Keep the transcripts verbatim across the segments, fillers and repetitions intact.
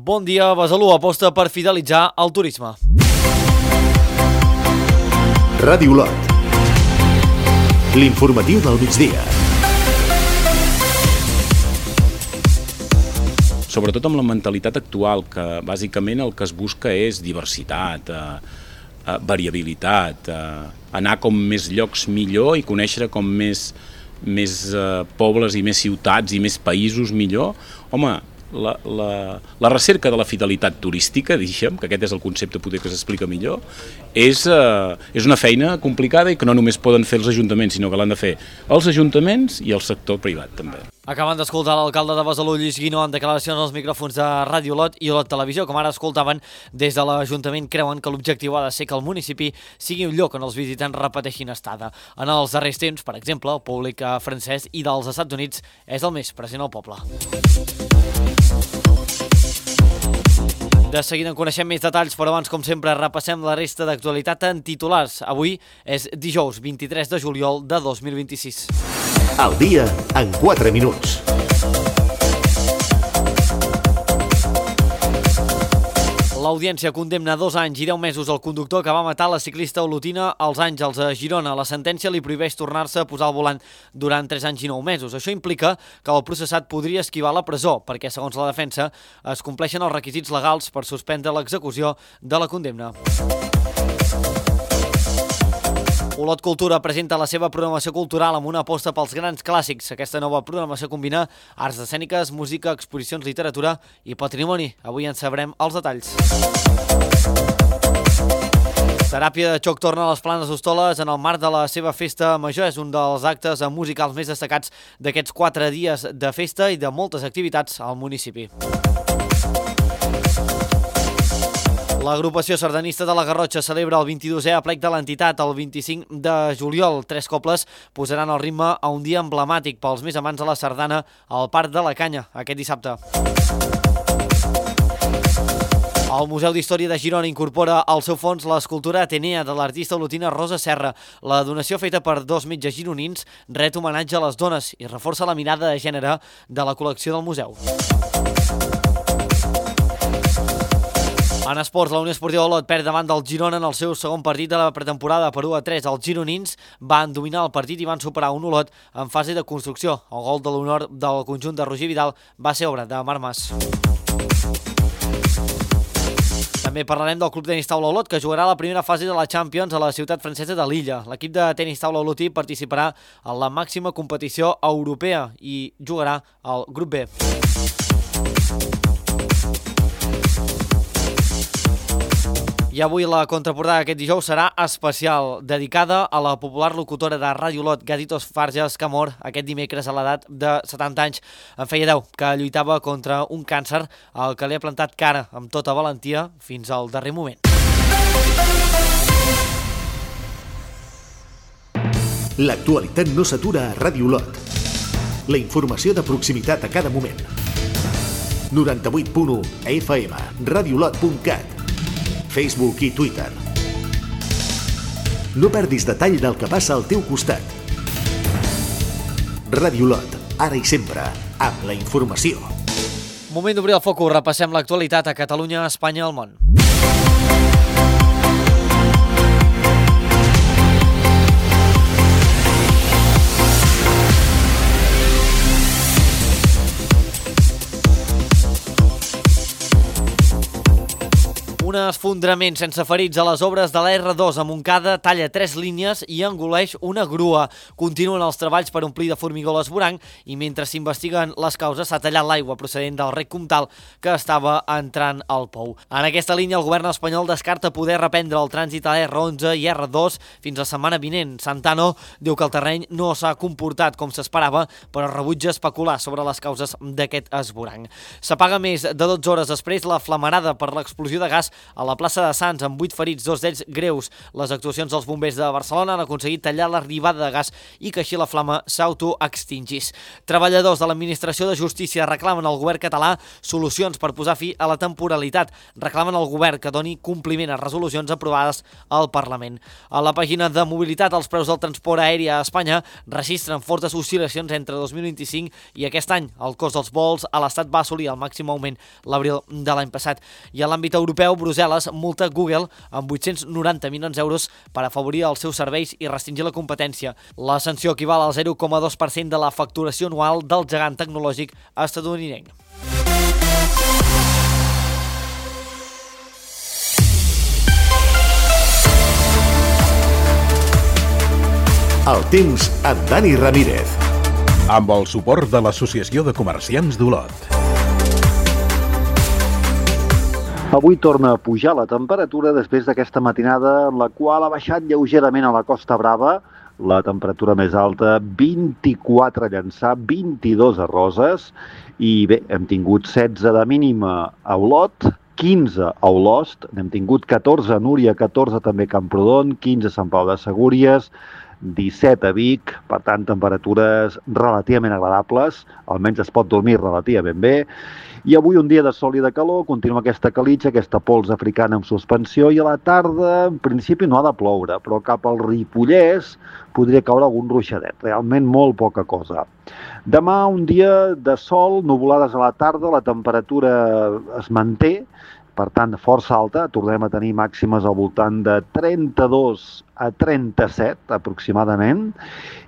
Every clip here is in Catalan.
Bon dia, Besalú aposta per fidelitzar el turisme. Ràdio Lot. L'informatiu del migdia. Sobretot amb la mentalitat actual, que bàsicament el que es busca és diversitat, eh, eh, variabilitat, eh, anar com més llocs millor i conèixer com més, més eh, pobles i més ciutats i més països millor. Home, la, la, la recerca de la fidelitat turística, diguem, que aquest és el concepte poder que s'explica millor, és, eh, és una feina complicada i que no només poden fer els ajuntaments, sinó que l'han de fer els ajuntaments i el sector privat també. Acaben d'escoltar l'alcalde de Besalú, Lluís Guinó, en declaracions als micròfons de Ràdio Lot i Lot Televisió. Com ara escoltaven, des de l'Ajuntament creuen que l'objectiu ha de ser que el municipi sigui un lloc on els visitants repeteixin estada. En els darrers temps, per exemple, el públic francès i dels Estats Units és el més present al poble. De seguida en coneixem més detalls, però abans, com sempre, repassem la resta d'actualitat en titulars. Avui és dijous vint-i-tres de juliol de dos mil vint-i-sis. Al dia en quatre minuts. L'Audiència condemna dos anys i deu mesos al conductor que va matar la ciclista olotina als Àngels a Girona. La sentència li prohibeix tornar-se a posar al volant durant tres anys i nou mesos. Això implica que el processat podria esquivar la presó, perquè, segons la defensa, es compleixen els requisits legals per suspendre l'execució de la condemna. Olot Cultura presenta la seva programació cultural amb una aposta pels grans clàssics. Aquesta nova programació combina arts escèniques, música, exposicions, literatura i patrimoni. Avui en sabrem els detalls. Teràpia de xoc torna a les Planes d'Hostoles en el marc de la seva festa major. És un dels actes musicals més destacats d'aquests quatre dies de festa i de moltes activitats al municipi. L'agrupació sardanista de la Garrotxa celebra el vint-i-dosè aplec de l'entitat el vint-i-cinc de juliol. Tres cobles posaran el ritme a un dia emblemàtic pels més amants de la sardana al Parc de la Canya aquest dissabte. El Museu d'Història de Girona incorpora al seu fons l'escultura Atenea de l'artista olotina Rosa Serra. La donació feta per dos metges gironins ret homenatge a les dones i reforça la mirada de gènere de la col·lecció del museu. En esports, la Unió Esportiva Olot perd davant del Girona en el seu segon partit de la pretemporada per u a tres. Els gironins van dominar el partit i van superar un Olot en fase de construcció. El gol de l'honor del conjunt de Roger Vidal va ser obra de Marc Mas. També parlarem del Club Tenis Taula Olot, que jugarà la primera fase de la Champions a la ciutat francesa de Lilla. L'equip de tenis taula olotí participarà en la màxima competició europea i jugarà al grup B. I avui la contraportada d'aquest dijous serà especial, dedicada a la popular locutora de Ràdio Lot, Gaditos Farges, que mor aquest dimecres a l'edat de setanta anys. En feia deu, que lluitava contra un càncer al que li ha plantat cara amb tota valentia fins al darrer moment. L'actualitat no s'atura a Ràdio Lot. La informació de proximitat a cada moment. noranta-vuit punt u F M, radiolot punt cat, Facebook i Twitter. No perdis detall del que passa al teu costat. Ràdio Lot, ara i sempre, amb la informació. Moment d'obrir el focus, repassem l'actualitat a Catalunya, Espanya i el món. Un esfondrament sense ferits a les obres de la R dos a Montcada talla tres línies i engoleix una grua. Continuen els treballs per omplir de formigó l'esvoranc i mentre s'investiguen les causes s'ha tallat l'aigua procedent del rec Comtal que estava entrant al pou. En aquesta línia el govern espanyol descarta poder reprendre el trànsit a R onze i R dos fins la setmana vinent. Santano diu que el terreny no s'ha comportat com s'esperava, però rebutja especular sobre les causes d'aquest esvoranc. S'apaga més de dotze hores després la flamarada per l'explosió de gas a la plaça de Sants amb vuit ferits, dos d'ells greus. Les actuacions dels bombers de Barcelona han aconseguit tallar l'arribada de gas i que així la flama s'autoextingís. Treballadors de l'Administració de Justícia reclamen al govern català solucions per posar fi a la temporalitat. Reclamen al govern que doni compliment a resolucions aprovades al Parlament. A la pàgina de mobilitat, els preus del transport aeri a Espanya registren fortes oscil·lacions entre dos mil vint-i-cinc i aquest any. El cost dels vols a l'Estat va assolir el màxim augment l'abril de l'any passat. I a l'àmbit europeu, Brussel·les multa Google amb vuit-cents noranta milions d'euros per afavorir els seus serveis i restringir la competència. La sanció equival al zero coma dos per cent de la facturació anual del gegant tecnològic estatunidenc. El temps amb Dani Ramírez. Amb el suport de l'Associació de Comerciants d'Olot. Avui torna a pujar la temperatura després d'aquesta matinada, la qual ha baixat lleugerament a la Costa Brava. La temperatura més alta, vint-i-quatre a Llançà, vint-i-dos a Roses. I bé, hem tingut setze de mínima a Olot, quinze a Olost, n'hem tingut catorze a Núria, catorze també a Camprodon, quinze a Sant Pau de Segúries, disset a Vic, per tant, temperatures relativament agradables, almenys es pot dormir relativament bé. I avui un dia de sol i de calor, continua aquesta calitja, aquesta pols africana en suspensió, i a la tarda, en principi, no ha de ploure, però cap al Ripollès podria caure algun ruixadet, realment molt poca cosa. Demà, un dia de sol, nuvolades a la tarda, la temperatura es manté, per tant, força alta, tornem a tenir màximes al voltant de trenta-dos a trenta-set aproximadament,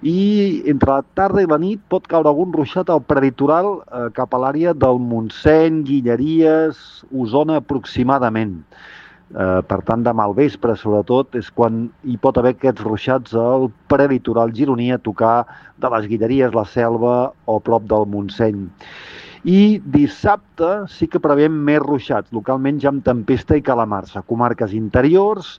i entre la tarda i la nit pot caure algun ruixat al prelitoral eh, cap a l'àrea del Montseny, Guilleries, Osona aproximadament. Eh, per tant, demà al vespre, sobretot, és quan hi pot haver aquests ruixats al prelitoral gironí a tocar de les Guilleries, la Selva o prop del Montseny. I dissabte sí que preveiem més ruixats, localment ja amb tempesta i calamarsa. Comarques interiors,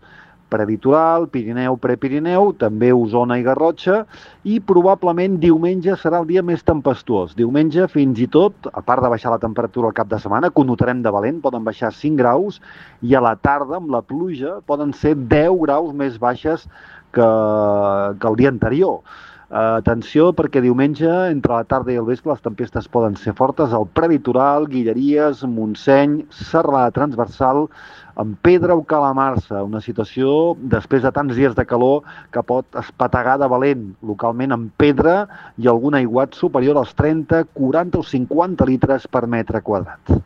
prelitoral, Pirineu, Prepirineu, també Osona i Garrotxa, i probablement diumenge serà el dia més tempestuós. Diumenge fins i tot, a part de baixar la temperatura al cap de setmana, que ho notarem de valent, poden baixar cinc graus, i a la tarda, amb la pluja, poden ser deu graus més baixes que, que el dia anterior. Uh, atenció, perquè diumenge, entre la tarda i el vespre, les tempestes poden ser fortes al prelitoral, Guilleries, Montseny, serralada transversal, amb pedra o calamarsa, una situació després de tants dies de calor que pot espetegar de valent, localment amb pedra i algun aiguat superior als trenta, quaranta o cinquanta litres per metre quadrat.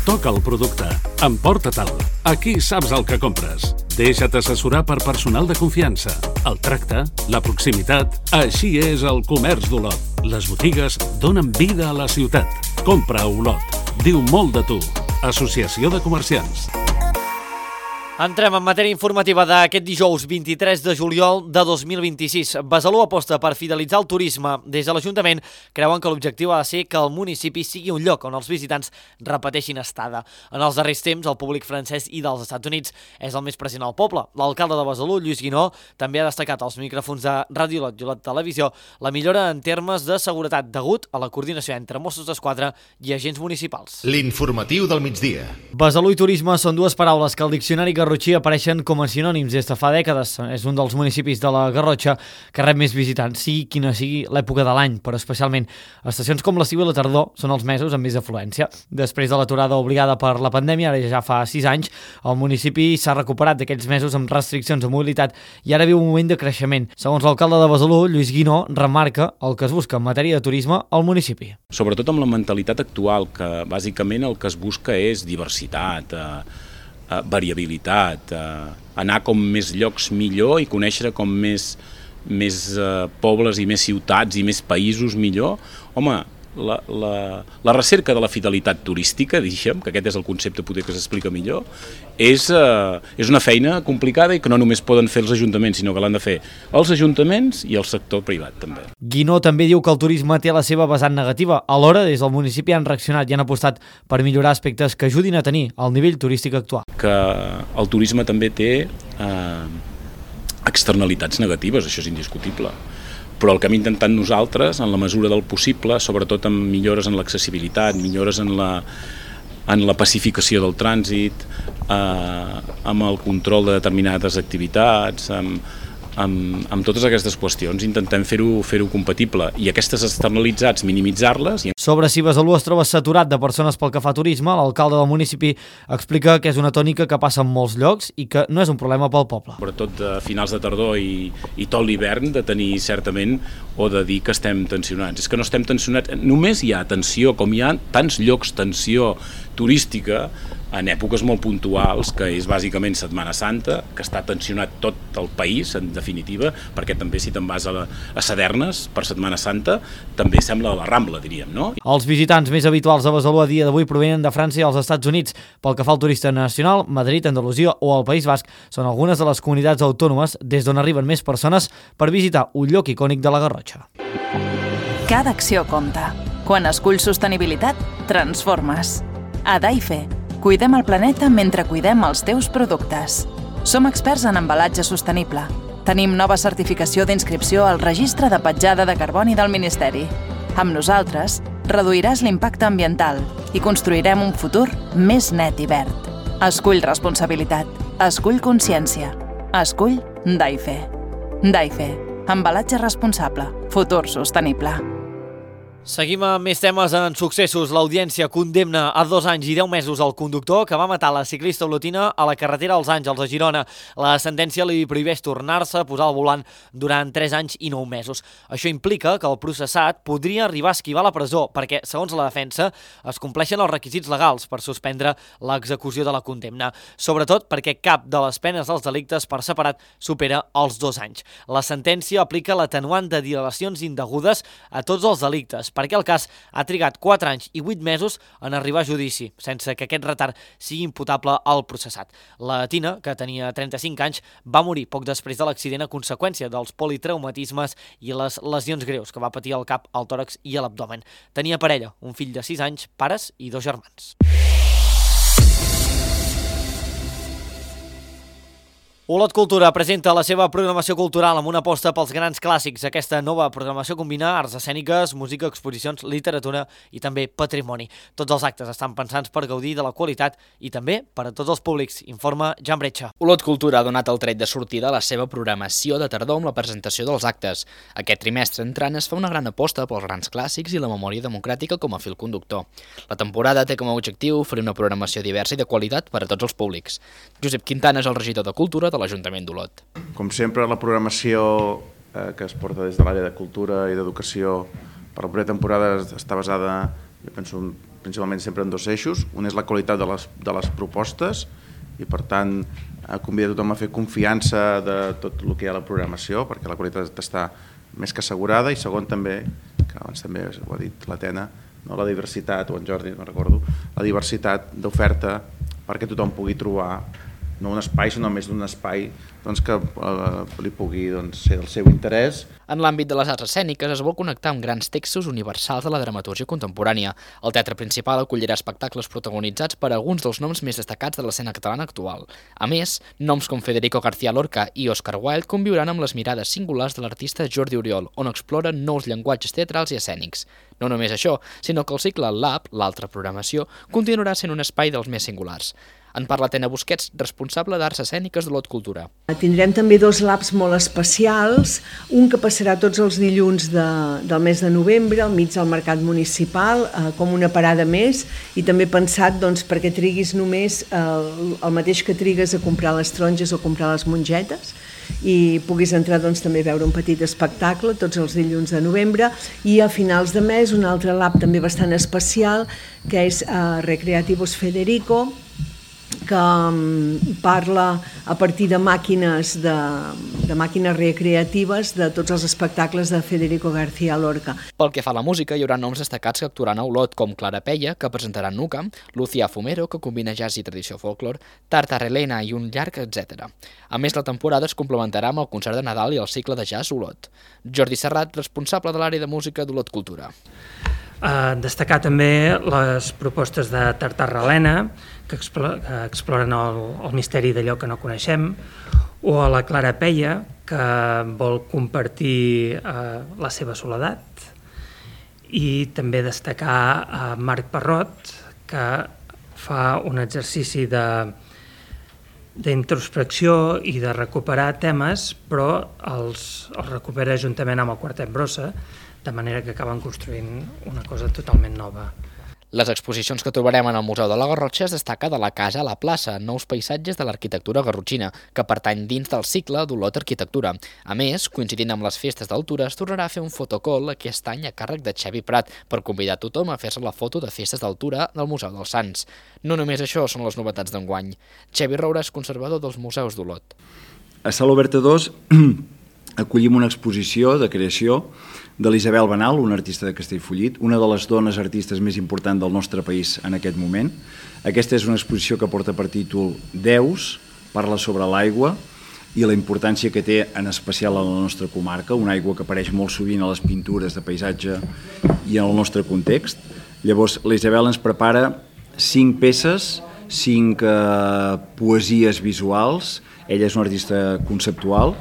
Toca el producte. Emporta-te'l. Aquí saps el que compres. Deixa't assessorar per personal de confiança. El tracte, la proximitat, així és el comerç d'Olot. Les botigues donen vida a la ciutat. Compra a Olot. Diu molt de tu. Associació de Comerciants. Entrem en matèria informativa d'aquest dijous vint-i-tres de juliol de dos mil vint-i-sis. Besalú aposta per fidelitzar el turisme. Des de l'Ajuntament creuen que l'objectiu ha de ser que el municipi sigui un lloc on els visitants repeteixin estada. En els darrers temps, el públic francès i dels Estats Units és el més present al poble. L'alcalde de Besalú, Lluís Guinó, també ha destacat als micròfons de Ràdio Olot i Olot Televisió la millora en termes de seguretat degut a la coordinació entre Mossos d'Esquadra i agents municipals. L'informatiu del migdia. Besalú i turisme són dues paraules que el diccionari Garrotxí apareixen com a sinònims des de fa dècades. És un dels municipis de la Garrotxa que rep més visitants, sigui quina sigui l'època de l'any, però especialment estacions com l'estiu i la tardor són els mesos amb més afluència. Després de l'aturada obligada per la pandèmia, ara ja fa sis anys, el municipi s'ha recuperat d'aquells mesos amb restriccions de mobilitat i ara viu un moment de creixement. Segons l'alcalde de Besalú, Lluís Guinó, remarca el que es busca en matèria de turisme al municipi. Sobretot amb la mentalitat actual, que bàsicament el que es busca és diversitat, eh, Uh, variabilitat, uh, anar com més llocs millor i conèixer com més, més uh, pobles i més ciutats i més països millor. Home, la, la, la recerca de la fidelitat turística, diguem, que aquest és el concepte poder que s'explica millor, és, uh, és una feina complicada i que no només poden fer els ajuntaments, sinó que l'han de fer els ajuntaments i el sector privat també. Guinó també diu que el turisme té la seva vessant negativa. Alhora, des del municipi han reaccionat i han apostat per millorar aspectes que ajudin a tenir el nivell turístic actual. Que el turisme també té eh, externalitats negatives, això és indiscutible. però el que hem intentat nosaltres, en la mesura del possible, sobretot amb millores en l'accessibilitat, millores en la, en la pacificació del trànsit, eh, amb el control de determinades activitats, amb, amb, amb totes aquestes qüestions, intentem fer-ho fer-ho compatible i aquestes externalitzats minimitzar-les. Sobre si Besalú es troba saturat de persones pel que fa a turisme, l'alcalde del municipi explica que és una tònica que passa en molts llocs i que no és un problema pel poble. Sobretot a finals de tardor i, i tot l'hivern, de tenir certament o de dir que estem tensionats. És que no estem tensionats, només hi ha tensió, com hi ha tants llocs tensió turística en èpoques molt puntuals, que és bàsicament Setmana Santa, que està tensionat tot el país, en definitiva, perquè també si te'n vas a, la, a Sadernes per Setmana Santa, també sembla la Rambla, diríem, no? Els visitants més habituals a Besalú a dia d'avui provenen de França i els Estats Units. Pel que fa al turista nacional, Madrid, Andalusia o el País Basc són algunes de les comunitats autònomes des d'on arriben més persones per visitar un lloc icònic de la Garrotxa. Cada acció compta. Quan esculls sostenibilitat, transformes. A Daife, cuidem el planeta mentre cuidem els teus productes. Som experts en embalatge sostenible. Tenim nova certificació d'inscripció al Registre de Petjada de Carboni del Ministeri. Amb nosaltres, reduiràs l'impacte ambiental i construirem un futur més net i verd. Escull responsabilitat. Escull consciència. Escull Daife. Daife. Embalatge responsable. Futur sostenible. Seguim amb més temes en successos. L'Audiència condemna a dos anys i deu mesos el conductor que va matar la ciclista olotina a la carretera als Àngels, a Girona. La sentència li prohibeix tornar-se a posar al volant durant tres anys i nou mesos. Això implica que el processat podria arribar a esquivar la presó perquè, segons la defensa, es compleixen els requisits legals per suspendre l'execució de la condemna. Sobretot perquè cap de les penes dels delictes per separat supera els dos anys. La sentència aplica l'atenuant de dilacions indegudes a tots els delictes, perquè el cas ha trigat quatre anys i vuit mesos en arribar a judici, sense que aquest retard sigui imputable al processat. La Tina, que tenia trenta-cinc anys, va morir poc després de l'accident a conseqüència dels politraumatismes i les lesions greus que va patir al cap, al tòrax i a l'abdomen. Tenia parella, un fill de sis anys, pares i dos germans. Olot Cultura presenta la seva programació cultural amb una aposta pels grans clàssics. Aquesta nova programació combina arts escèniques, música, exposicions, literatura i també patrimoni. Tots els actes estan pensats per gaudir de la qualitat i també per a tots els públics, informa Jan Bretxa. Olot Cultura ha donat el tret de sortida a la seva programació de tardor amb la presentació dels actes. Aquest trimestre entrant es fa una gran aposta pels grans clàssics i la memòria democràtica com a fil conductor. La temporada té com a objectiu oferir una programació diversa i de qualitat per a tots els públics. Josep Quintana és el regidor de Cultura de l'Ajuntament d'Olot. Com sempre, la programació eh, que es porta des de l'àrea de cultura i d'educació per la propera temporada està basada, jo penso, principalment sempre en dos eixos. Un és la qualitat de les, de les propostes i, per tant, eh, convida tothom a fer confiança de tot el que hi ha a la programació, perquè la qualitat està més que assegurada. I segon, també, que abans també ho ha dit l'Atena, no, la diversitat, o en Jordi, no recordo, la diversitat d'oferta perquè tothom pugui trobar no un espai, sinó més d'un espai doncs, que eh, li pugui doncs, ser del seu interès. En l'àmbit de les arts escèniques es vol connectar amb grans textos universals de la dramatúrgia contemporània. El teatre principal acollirà espectacles protagonitzats per alguns dels noms més destacats de l'escena catalana actual. A més, noms com Federico García Lorca i Oscar Wilde conviuran amb les mirades singulars de l'artista Jordi Oriol, on exploren nous llenguatges teatrals i escènics. No només això, sinó que el cicle Lab, l'altra programació, continuarà sent un espai dels més singulars. En parla Tena Busquets, responsable d'Arts Escèniques de l'Olot Cultura. Tindrem també dos labs molt especials, un que passarà tots els dilluns de, del mes de novembre, al mig del mercat municipal, eh, com una parada més, i també pensat doncs, perquè triguis només eh, el mateix que trigues a comprar les taronges o comprar les mongetes, i puguis entrar doncs, també a veure un petit espectacle tots els dilluns de novembre, i a finals de mes un altre lab també bastant especial, que és eh, Recreativos Federico, que parla a partir de màquines, de, de màquines recreatives de tots els espectacles de Federico García Lorca. Pel que fa a la música, hi haurà noms destacats que actuaran a Olot, com Clara Peia, que presentarà Nuca, Lucía Fumero, que combina jazz i tradició folklore, Tartarelena i un llarg, etcètera. A més, la temporada es complementarà amb el concert de Nadal i el cicle de jazz Olot. Jordi Serrat, responsable de l'àrea de música d'Olot Cultura. Uh, destacar també les propostes de Tartarelena, que, explora, que exploren el, el misteri d'allò que no coneixem, o a la Clara Peia, que vol compartir eh, la seva soledat, i també destacar a Marc Parrot, que fa un exercici de d'introspecció i de recuperar temes, però els, els recupera juntament amb el Quartet Brossa, de manera que acaben construint una cosa totalment nova. Les exposicions que trobarem en el Museu de la Garrotxa es destaca de la casa a la plaça, nous paisatges de l'arquitectura garrotxina, que pertany dins del cicle d'Olot Arquitectura. A més, coincidint amb les festes d'altura, es tornarà a fer un fotocall aquest any a càrrec de Xavi Prat per convidar tothom a fer-se la foto de festes d'altura del Museu dels Sants. No només això són les novetats d'enguany. Xavi Roura és conservador dels museus d'Olot. A Sala Oberta dos acollim una exposició de creació de l'Isabel Benal, una artista de Castellfollit, una de les dones artistes més importants del nostre país en aquest moment. Aquesta és una exposició que porta per títol Deus, parla sobre l'aigua i la importància que té en especial a la nostra comarca, una aigua que apareix molt sovint a les pintures de paisatge i en el nostre context. Llavors, la Isabel ens prepara cinc peces, cinc eh, poesies visuals. Ella és una artista conceptual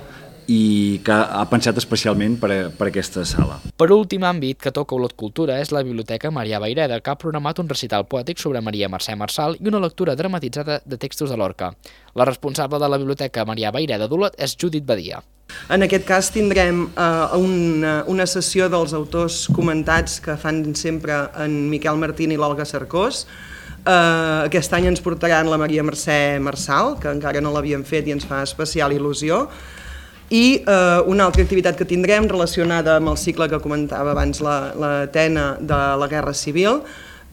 i que ha pensat especialment per a, per a aquesta sala. Per últim àmbit que toca Olot Cultura és la Biblioteca Marià Vayreda, que ha programat un recital poètic sobre Maria Mercè Marçal i una lectura dramatitzada de textos de Lorca. La responsable de la Biblioteca Marià Vayreda d'Olot és Judit Badia. En aquest cas tindrem eh, una, una sessió dels autors comentats que fan sempre en Miquel Martín i l'Olga Cercós. Uh, aquest any ens portaran la Maria Mercè Marçal, que encara no l'havíem fet i ens fa especial il·lusió. I eh, una altra activitat que tindrem relacionada amb el cicle que comentava abans la, la Tena de la Guerra Civil,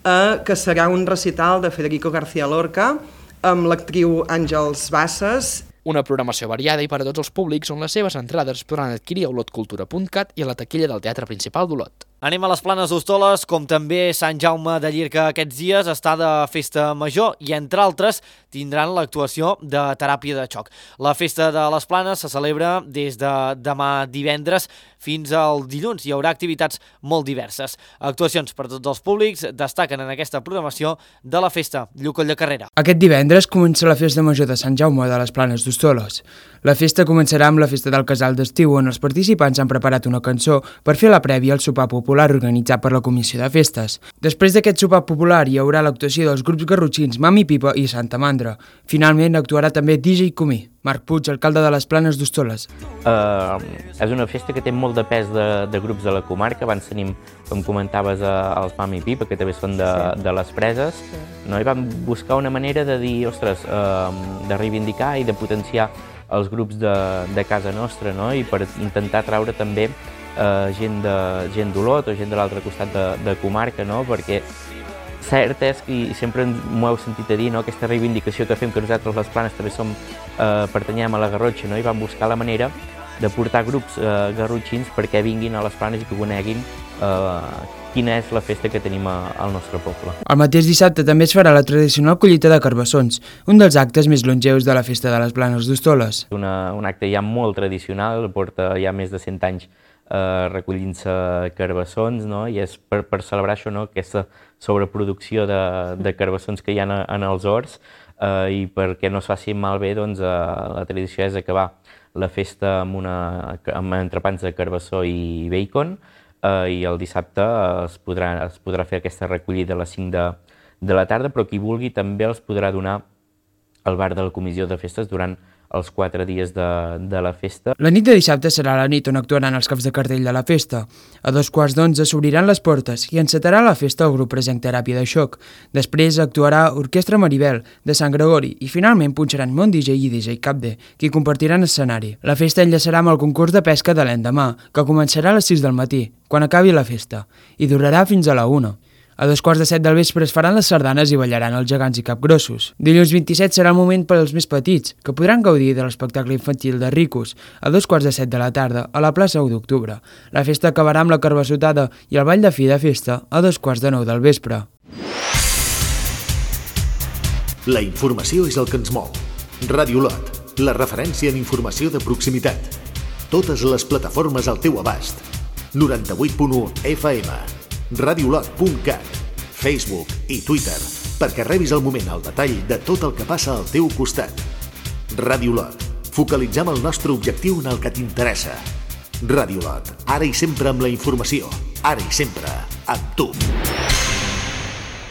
eh, que serà un recital de Federico García Lorca amb l'actriu Àngels Bassas. Una programació variada i per a tots els públics on les seves entrades es podran adquirir a olot cultura punt cat i a la taquilla del Teatre Principal d'Olot. Anem a les Planes d'Hostoles, com també Sant Jaume de Llirca aquests dies està de festa major i, entre altres, tindran l'actuació de teràpia de xoc. La festa de les Planes se celebra des de demà divendres fins al dilluns. Hi haurà activitats molt diverses. Actuacions per tots els públics destaquen en aquesta programació de la festa. Lluc de Carrera. Aquest divendres comença la festa major de Sant Jaume de les Planes d'Hostoles. La festa començarà amb la festa del casal d'estiu, on els participants han preparat una cançó per fer la prèvia al sopar popular organitzat per la Comissió de Festes. Després d'aquest sopar popular hi haurà l'actuació dels grups garrotxins Mami Pipa i Santa Mandra. Finalment actuarà també D J Comí. Marc Puig, alcalde de les Planes d'Hostoles. Uh, és una festa que té molt de pes de, de grups de la comarca. Abans tenim, com comentaves, els Mami Pipa, que també són de, de les Preses, no? I vam buscar una manera de dir, ostres, uh, de reivindicar i de potenciar els grups de, de casa nostra, no? I per intentar traure també uh, gent de gent d'Olot o gent de l'altre costat de, de comarca, no? Perquè cert és, i sempre m'ho heu sentit a dir, no? Aquesta reivindicació que fem, que nosaltres les Planes també som, eh, pertanyem a la Garrotxa, no? I vam buscar la manera de portar grups eh, garrotxins perquè vinguin a les Planes i que coneguin eh, quina és la festa que tenim a, al nostre poble. El mateix dissabte també es farà la tradicional collita de carbassons, un dels actes més longeus de la festa de les Planes d'Hostoles. Una, un acte ja molt tradicional, porta ja més de cent anys eh, recollint-se carbassons, no? I és per, per celebrar això, no? Aquesta sobreproducció de, de carbassons que hi ha en, en els horts, eh, i perquè no es faci malbé, doncs, eh, la tradició és acabar la festa amb, una, amb entrepans de carbassó i bacon, eh, i el dissabte es podrà, es podrà fer aquesta recollida a les cinc de, de la tarda, però qui vulgui també els podrà donar al bar de la Comissió de Festes durant els quatre dies de, de la festa. La nit de dissabte serà la nit on actuaran els caps de cartell de la festa. A dos quarts d'onze s'obriran les portes i encetarà la festa el grup Present Teràpia de Xoc. Després actuarà Orquestra Maribel, de Sant Gregori, i finalment punxaran Mont D J i D J Capde, qui compartiran escenari. La festa enllaçarà amb el concurs de pesca de l'endemà, que començarà a les sis del matí, quan acabi la festa, i durarà fins a la una. A dos quarts de set del vespre es faran les sardanes i ballaran els gegants i capgrossos. Dilluns vint-i-set serà el moment per als més petits, que podran gaudir de l'espectacle infantil de Ricos, a dos quarts de set de la tarda, a la plaça u d'octubre. La festa acabarà amb la carbassotada i el ball de fi de festa a dos quarts de nou del vespre. La informació és el que ens mou. Ràdio Olot, la referència en informació de proximitat. Totes les plataformes al teu abast. noranta-vuit punt u F M. radiolot punt cat, Facebook i Twitter, perquè rebis al moment el detall de tot el que passa al teu costat. Ràdio Olot, Focalitzem el nostre objectiu en el que t'interessa. Ràdio Lot, ara i sempre amb la informació, ara i sempre amb tu.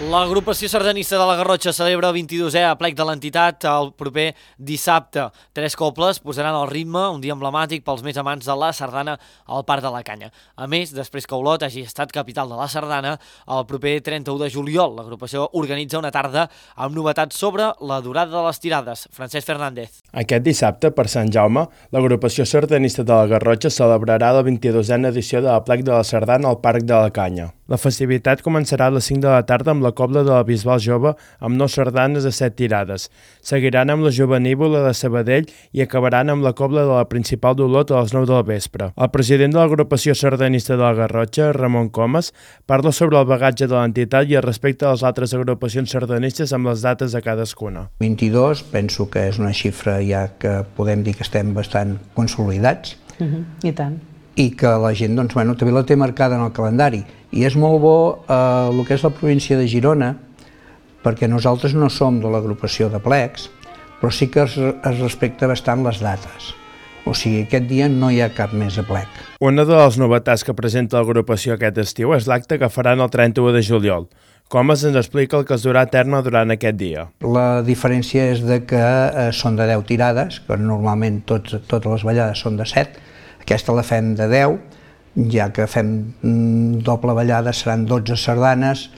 L'agrupació sardanista de la Garrotxa celebra el vint-i-dosè aplec de l'entitat el proper dissabte. Tres cobles posaran el ritme, un dia emblemàtic pels més amants de la sardana al Parc de la Canya. A més, després que Olot hagi estat capital de la sardana, el proper trenta-u de juliol l'agrupació organitza una tarda amb novetats sobre la durada de les tirades. Francesc Fernández. Aquest dissabte, per Sant Jaume, l'agrupació sardanista de la Garrotxa celebrarà la vint-i-dosena edició de l'aplec de la sardana al Parc de la Canya. La festivitat començarà a les cinc de la tarda amb la cobla de la Bisbal Jove amb nou sardanes de set tirades. Seguiran amb la Jovenívola de Sabadell i acabaran amb la cobla de la Principal d'Olot a les nou del vespre. El president de l'agrupació sardanista de la Garrotxa, Ramon Comas, parla sobre el bagatge de l'entitat i el respecte a les altres agrupacions sardanistes amb les dates de cadascuna. vint-i-dos, penso que és una xifra ja que podem dir que estem bastant consolidats. Uh-huh. I tant. I que la gent doncs, bueno, també la té marcada en el calendari. I és molt bo eh, el que és la província de Girona, perquè nosaltres no som de l'agrupació de plecs, però sí que es, es respecta bastant les dates. O sigui, aquest dia no hi ha cap més aplec. Una de les novetats que presenta l'agrupació aquest estiu és l'acte que faran el trenta-u de juliol. Comas ens explica el que es durà a terme durant aquest dia. La diferència és de que eh, són de deu tirades, que normalment tots, totes les ballades són de set. Aquesta la fem de deu, ja que fem doble ballada seran dotze sardanes.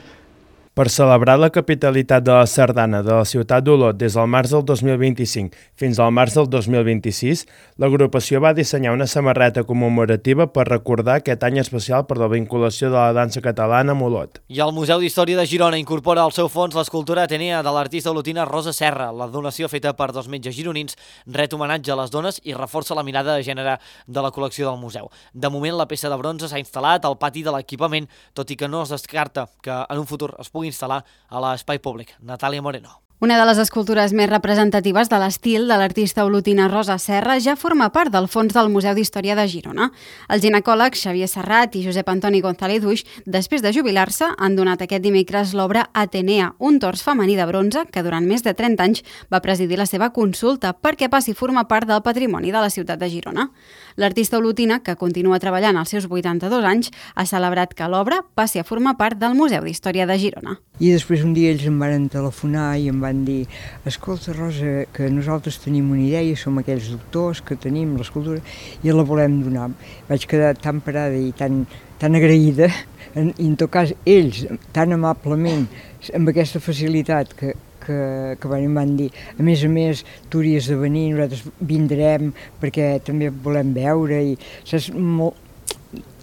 Per celebrar la capitalitat de la sardana de la ciutat d'Olot des del març del dos mil vint-i-cinc fins al març del dos mil vint-i-sis, l'agrupació va dissenyar una samarreta commemorativa per recordar aquest any especial per la vinculació de la dansa catalana amb Olot. I el Museu d'Història de Girona incorpora al seu fons l'escultura Atenea de l'artista olotina Rosa Serra. La donació feta per dos metges gironins ret homenatge a les dones i reforça la mirada de gènere de la col·lecció del museu. De moment, la peça de bronze s'ha instal·lat al pati de l'equipament, tot i que no es descarta que en un futur es pugui instal·lar a l'espai públic. Natàlia Moreno. Una de les escultures més representatives de l'estil de l'artista olotina Rosa Serra ja forma part del fons del Museu d'Història de Girona. Els ginecòlegs Xavier Serrat i Josep Antoni González Duix, després de jubilar-se, han donat aquest dimecres l'obra Atenea, un tors femení de bronze que durant més de trenta anys va presidir la seva consulta perquè passi a formar part del patrimoni de la ciutat de Girona. L'artista olotina, que continua treballant als seus vuitanta-dos anys, ha celebrat que l'obra passi a formar part del Museu d'Història de Girona. I després un dia ells em van telefonar i em van dir: escolta, Rosa, que nosaltres tenim una idea, som aquells doctors que tenim l'escultura i la volem donar. Vaig quedar tan parada i tan, tan agraïda, en, i en tot cas ells tan amablement, amb aquesta facilitat que, que, que van, van dir, a més a més tu hauries de venir, nosaltres vindrem perquè també volem veure, i saps, molt,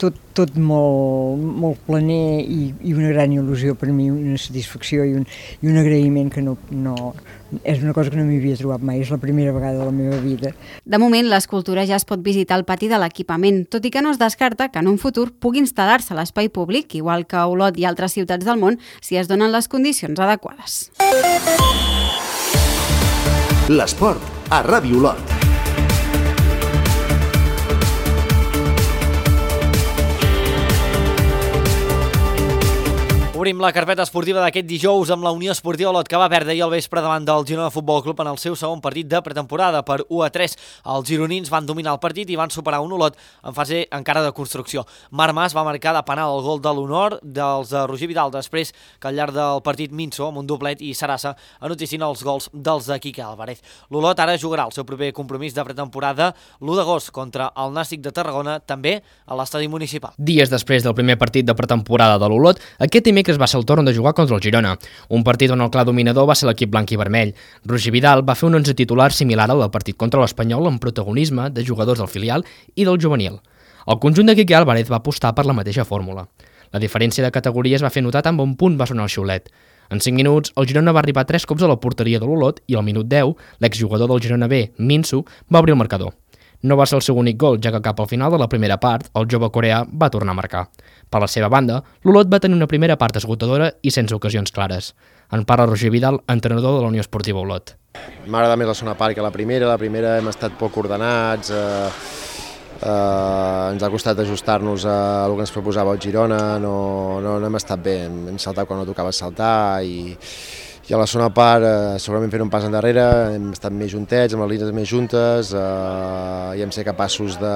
tot, tot molt, molt planer i, i una gran il·lusió per mi, una satisfacció i un, i un agraïment que no, no, és una cosa que no m'hi havia trobat mai, és la primera vegada de la meva vida. De moment, l'escultura ja es pot visitar al pati de l'equipament, tot i que no es descarta que en un futur pugui instal·lar-se a l'espai públic, igual que a Olot i altres ciutats del món, si es donen les condicions adequades. L'esport a Ràdio Olot. Obrim la carpeta esportiva d'aquest dijous amb la Unió Esportiva Olot, que va perdre ahir al vespre davant del Girona Futbol Club en el seu segon partit de pretemporada per u a tres. Els gironins van dominar el partit i van superar un Olot en fase encara de construcció. Marc Mas va marcar de penal el gol de l'honor dels de Roger Vidal, després que al llarg del partit Minso, amb un doblet, i Sarassa anotissin els gols dels de Quique Álvarez. L'Olot ara jugarà el seu proper compromís de pretemporada l'u d'agost contra el Nàstic de Tarragona, també a l'estadi municipal. Dies després del primer partit de pretemporada de l'Olot, aquest dimecres va ser el torn de jugar contra el Girona, un partit on el clar dominador va ser l'equip blanc i vermell. Roger Vidal va fer un onze titular similar al del partit contra l'Espanyol amb protagonisme de jugadors del filial i del juvenil. El conjunt de Quique Álvarez va apostar per la mateixa fórmula. La diferència de categories va fer notar tan bon punt va sonar el xiulet. En cinc minuts, el Girona va arribar tres cops a la porteria de l'Olot i al minut deu, l'exjugador del Girona B, Minso, va obrir el marcador. No va ser el seu únic gol, ja que cap al final de la primera part, el jove coreà va tornar a marcar. Per la seva banda, l'Olot va tenir una primera part esgotadora i sense ocasions clares. En parla Roger Vidal, entrenador de la Unió Esportiva Olot. M'agrada més la segona part que la primera. La primera hem estat poc ordenats, eh, eh, ens ha costat ajustar-nos a el que ens proposava el Girona, no, no, no hem estat bé, hem saltat quan no tocava saltar i, I a la segona part, eh, segurament fent un pas endarrere, hem estat més juntets, amb les línies més juntes, eh, i hem ser capaços de,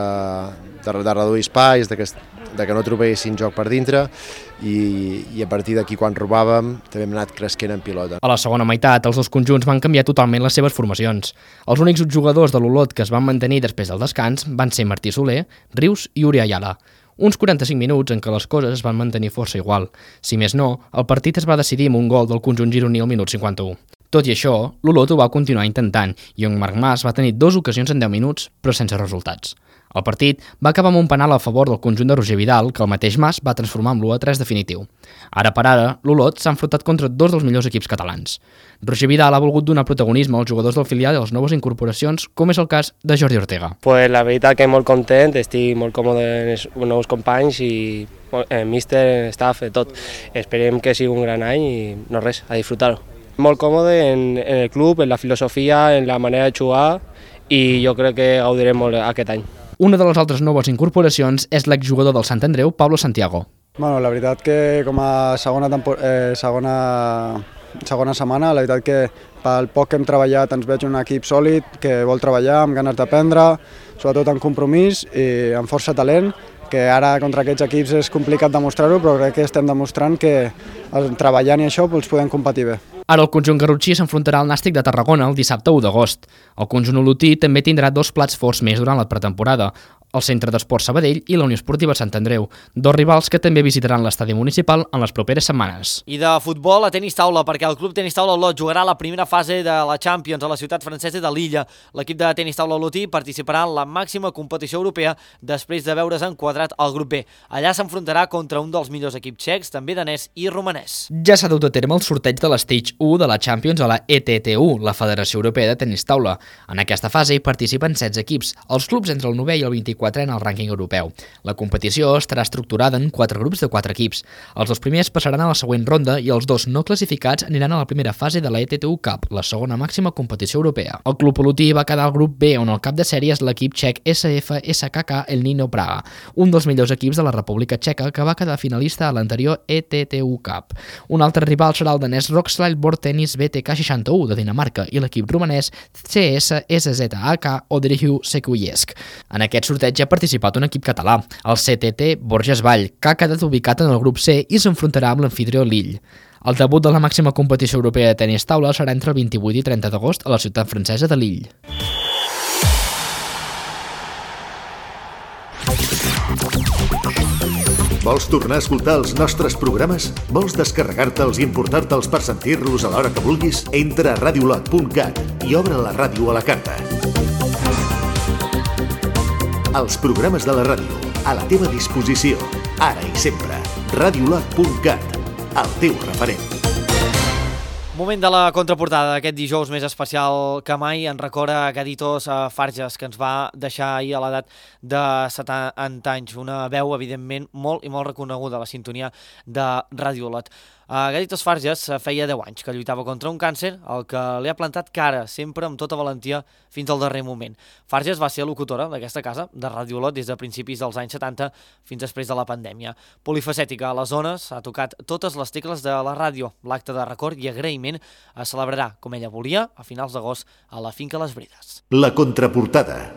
de, de reduir espais, de que, de que no trobessin joc per dintre, i, i a partir d'aquí, quan robàvem, també hem anat cresquent en pilota. A la segona meitat, els dos conjunts van canviar totalment les seves formacions. Els únics jugadors de l'Olot que es van mantenir després del descans van ser Martí Soler, Rius i Uri Ayala. Uns quaranta-cinc minuts en què les coses es van mantenir força igual. Si més no, el partit es va decidir amb un gol del conjunt gironí al minut cinquanta-u. Tot i això, l'Olot ho va continuar intentant i en Marc Mas va tenir dues ocasions en deu minuts, però sense resultats. El partit va acabar amb un penal a favor del conjunt de Roger Vidal, que el mateix Mas va transformar en l'u a tres definitiu. Ara per ara, l'Olot s'ha enfrontat contra dos dels millors equips catalans. Roger Vidal ha volgut donar protagonisme als jugadors del filial i a les noves incorporacions, com és el cas de Jordi Ortega. Pues la veritat que molt content, estic molt còmode en els nous companys i el míster, staff, tot. Esperem que sigui un gran any i no res, a disfrutar-ho. Molt còmode en, en el club, en la filosofia, en la manera de jugar i jo crec que gaudirem molt aquest any. Una de les altres noves incorporacions és l'exjugador del Sant Andreu, Pablo Santiago. Bueno, la veritat que com a segona, eh, segona, segona setmana, la veritat que pel poc que hem treballat ens veig un equip sòlid que vol treballar amb ganes d'aprendre, sobretot amb compromís i amb força talent, que ara contra aquests equips és complicat demostrar-ho, però crec que estem demostrant que treballant i això doncs, podem competir bé. Ara el conjunt garrotxí s'enfrontarà al Nàstic de Tarragona el dissabte u d'agost. El conjunt olotí també tindrà dos plats forts més durant la pretemporada, el Centre d'Esports Sabadell i la Unió Esportiva Sant Andreu, dos rivals que també visitaran l'estadi municipal en les properes setmanes. I de futbol a tenis taula, perquè el club tenis taula Olot jugarà la primera fase de la Champions a la ciutat francesa de Lilla. L'equip de tenis taula olotí participarà en la màxima competició europea després de veure's enquadrat al grup B. Allà s'enfrontarà contra un dels millors equips txecs, també danès i romanès. Ja s'ha dut a terme el sorteig de l'Stage u de la Champions a la E T T U, la Federació Europea de Tenis Taula. En aquesta fase hi participen setze equips, els clubs entre el novè i el vint-i-quatre en el rànquing europeu. La competició estarà estructurada en quatre grups de quatre equips. Els dos primers passaran a la següent ronda i els dos no classificats aniran a la primera fase de la E T T U Cup, la segona màxima competició europea. El club olotí va quedar al grup B, on el cap de sèrie és l'equip txec S F S K K El Nino Praga, un dels millors equips de la República Txeca que va quedar finalista a l'anterior E T T U Cup. Un altre rival serà el danès Rockslide Board Tennis B T K seixanta-u de Dinamarca i l'equip romanès C S S Z A K Odryhu Sekujevsk. En aquest sorteig ha participat un equip català, el C T T Borges Vall, que ha quedat ubicat en el grup C i s'enfrontarà amb l'anfitrió Lille. El debut de la màxima competició europea de tenis taula serà entre el vint-i-vuit i trenta d'agost a la ciutat francesa de Lille. Vols tornar a escoltar els nostres programes? Vols descarregar-te'ls i importar-te'ls per sentir-los a l'hora que vulguis? Entra a radiolot punt cat i obre la ràdio a la carta. Els programes de la ràdio, a la teva disposició, ara i sempre. radiolot punt cat, el teu referent. Moment de la contraportada d'aquest dijous més especial que mai. En recorda Gaditos Farges, que ens va deixar ahir a l'edat de setanta anys. Una veu, evidentment, molt i molt reconeguda a la sintonia de Ràdio Olot. Uh, Gaditos Farges feia deu anys que lluitava contra un càncer, el que li ha plantat cara, sempre amb tota valentia, fins al darrer moment. Farges va ser locutora d'aquesta casa, de Ràdio Olot, des de principis dels anys setanta fins després de la pandèmia. Polifacètica a les zones, ha tocat totes les tecles de la ràdio. L'acte de record i agraïment es celebrarà, com ella volia, a finals d'agost a la finca Les Brides. La contraportada.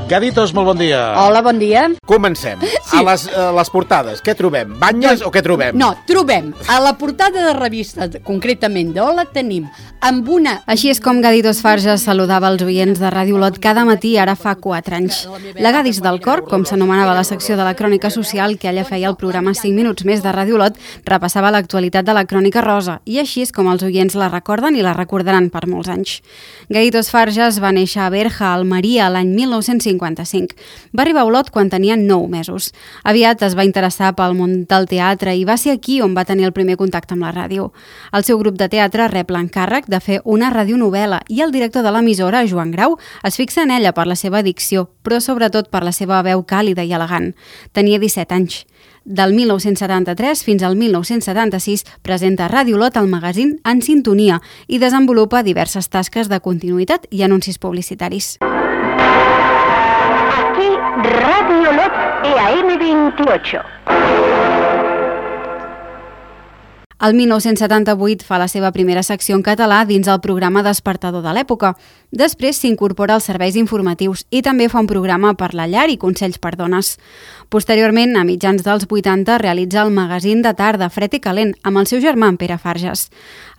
Gaditos, molt bon dia. Hola, bon dia. Comencem. Sí. A les, a les portades, què trobem? Banyes doncs, o què trobem? No, trobem. A la portada de revista, concretament d'Ola, tenim amb una... Així és com Gaditos Farges saludava els oients de Ràdio Olot cada matí, ara fa quatre anys. La Gadis del Cor, com s'anomenava la secció de la crònica social que ella feia el programa cinc minuts més de Ràdio Olot, repassava l'actualitat de la crònica rosa, i així és com els oients la recorden i la recordaran per molts anys. Gaditos Farges va néixer a Berja, Almeria, l'any mil nou-cents cinquanta-cinc. Va arribar a Olot quan tenia nou mesos. Aviat es va interessar pel món del teatre i va ser aquí on va tenir el primer contacte amb la ràdio. El seu grup de teatre rep l'encàrrec de fer una radionovel·la i el director de l'emissora, Joan Grau, es fixa en ella per la seva dicció, però sobretot per la seva veu càlida i elegant. Tenia disset anys. Del mil nou-cents setanta-tres fins al mil nou-cents setanta-sis presenta a Ràdio Olot el magazín En Sintonia i desenvolupa diverses tasques de continuïtat i anuncis publicitaris. Aquí Radio Olot E A M veintiocho. El mil nou-cents setanta-vuit fa la seva primera secció en català dins el programa Despertador de l'època. Després s'incorpora als serveis informatius i també fa un programa per la llar i consells per dones. Posteriorment, a mitjans dels vuitanta, realitza el magazín de tarda Fred i Calent amb el seu germà en Pere Farges.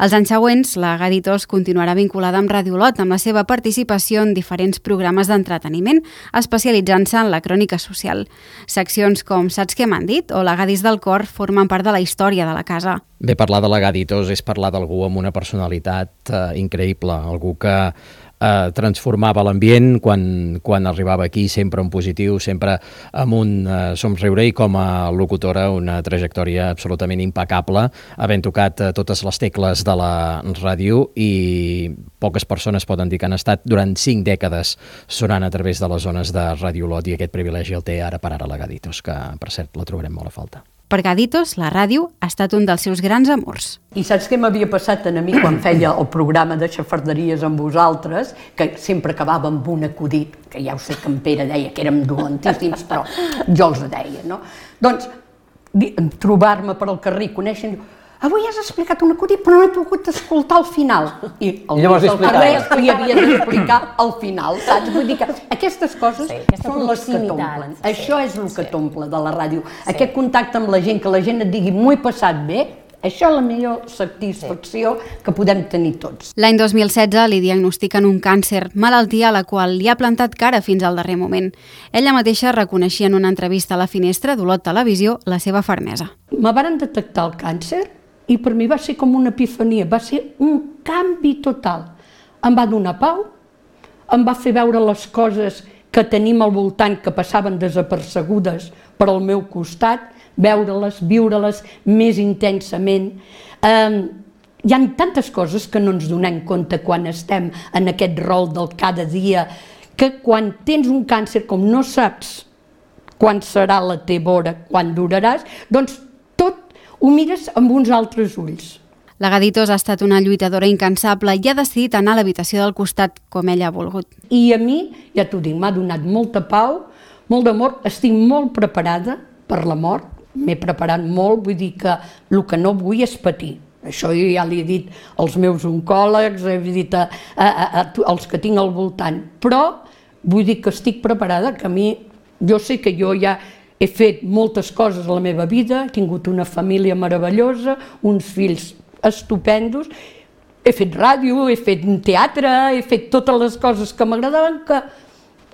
Els anys següents, la Gaditos continuarà vinculada amb Ràdio Olot amb la seva participació en diferents programes d'entreteniment, especialitzant-se en la crònica social. Seccions com Saps què m'han dit o La Gadis del cor formen part de la història de la casa. Bé, parlar de la Gaditos és parlar d'algú amb una personalitat eh, increïble, algú que eh, transformava l'ambient quan, quan arribava aquí, sempre en positiu, sempre amb un eh, somriure, i com a locutora una trajectòria absolutament impecable, havent tocat eh, totes les tecles de la ràdio, i poques persones poden dir que han estat durant cinc dècades sonant a través de les zones de Ràdio Olot, i aquest privilegi el té ara per ara la Gaditos, que per cert la trobarem molt a falta. Per Gaditos, la ràdio ha estat un dels seus grans amors. I saps què m'havia passat a mi quan feia el programa de xafarderies amb vosaltres, que sempre acabava amb un acudit, que ja ho sé que en Pere deia que érem dolentíssims, però jo els deia, no? Doncs, trobar-me per al carrer, conèixer, avui has explicat un acudit, però no he pogut escoltar al final. I el Lluís del carrer li havia d'explicar al final, saps? Vull dir que aquestes coses sí, són les que t'omplen. Sí, això és el que sí. t'omple de la ràdio. Sí. Aquest contacte amb la gent, que la gent et digui m'ho he passat bé, això és la millor satisfacció sí. que podem tenir tots. L'any dos mil setze li diagnostiquen un càncer, malaltia a la qual li ha plantat cara fins al darrer moment. Ella mateixa reconeixia en una entrevista a La Finestra d'Olot Televisió la seva fermesa. Me varen detectar el càncer i per mi va ser com una epifania, va ser un canvi total. Em va donar pau, em va fer veure les coses que tenim al voltant que passaven desapercebudes per al meu costat, veure-les, viure-les més intensament. Eh, hi ha tantes coses que no ens donem compte quan estem en aquest rol del cada dia, que quan tens un càncer, com no saps quan serà la teva hora, quan duraràs, doncs tot ho mires amb uns altres ulls. La Gaditos ha estat una lluitadora incansable i ha decidit anar a l'habitació del costat com ella ha volgut. I a mi, ja t'ho dic, m'ha donat molta pau, molt d'amor, estic molt preparada per la mort, m'he preparat molt, vull dir que el que no vull és patir. Això jo ja li he dit als meus oncòlegs, he dit a, a, a, a, als que tinc al voltant, però vull dir que estic preparada, que a mi, jo sé que jo ja he fet moltes coses a la meva vida, he tingut una família meravellosa, uns fills estupendos, he fet ràdio, he fet teatre, he fet totes les coses que m'agradaven, que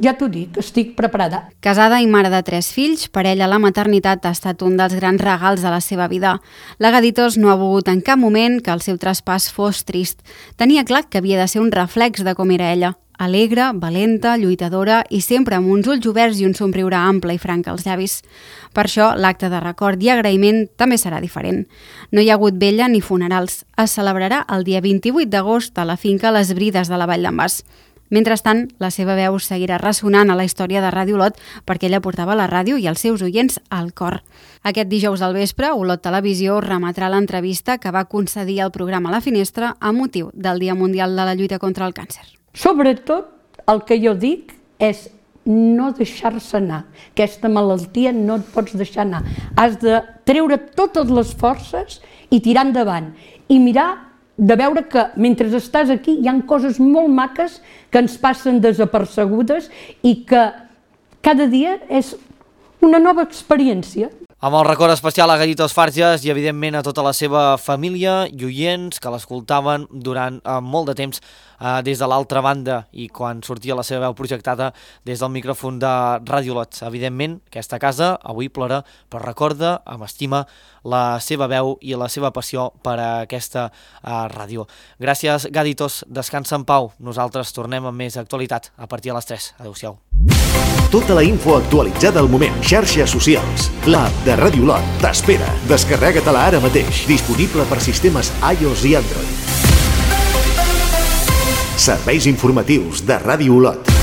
ja t'ho dic, estic preparada. Casada i mare de tres fills, per ella la maternitat ha estat un dels grans regals de la seva vida. La Gaditos no ha volgut en cap moment que el seu traspàs fos trist. Tenia clar que havia de ser un reflex de com era ella. Alegre, valenta, lluitadora i sempre amb uns ulls oberts i un somriure ample i franc als llavis. Per això, l'acte de record i agraïment també serà diferent. No hi ha hagut vella ni funerals. Es celebrarà el dia vint-i-vuit d'agost a la finca Les Brides de la Vall d'en Bas. Mentrestant, la seva veu seguirà ressonant a la història de Ràdio Olot perquè ella portava la ràdio i els seus oients al cor. Aquest dijous al vespre, Olot Televisió remetrà l'entrevista que va concedir al programa La Finestra a motiu del Dia Mundial de la Lluita contra el Càncer. Sobretot, el que jo dic és no deixar-se anar. Aquesta malaltia no et pots deixar anar. Has de treure totes les forces i tirar endavant. I mirar de veure que mentre estàs aquí hi ha coses molt maques que ens passen desapercebudes i que cada dia és una nova experiència. Amb el record especial a Gaditos Farges i, evidentment, a tota la seva família i oients que l'escoltaven durant eh, molt de temps eh, des de l'altra banda i quan sortia la seva veu projectada des del micròfon de Ràdio Olot. Evidentment, aquesta casa avui plora, però recorda amb estima la seva veu i la seva passió per a aquesta eh, ràdio. Gràcies, Gaditos. Descansa en pau. Nosaltres tornem amb més actualitat a partir de les tres. Adéu-siau. Tota la info actualitzada al moment. Xarxes socials. L'app de Ràdio Olot t'espera. Descarrega-te-la ara mateix. Disponible per sistemes iOS i Android. Serveis informatius de Ràdio Olot.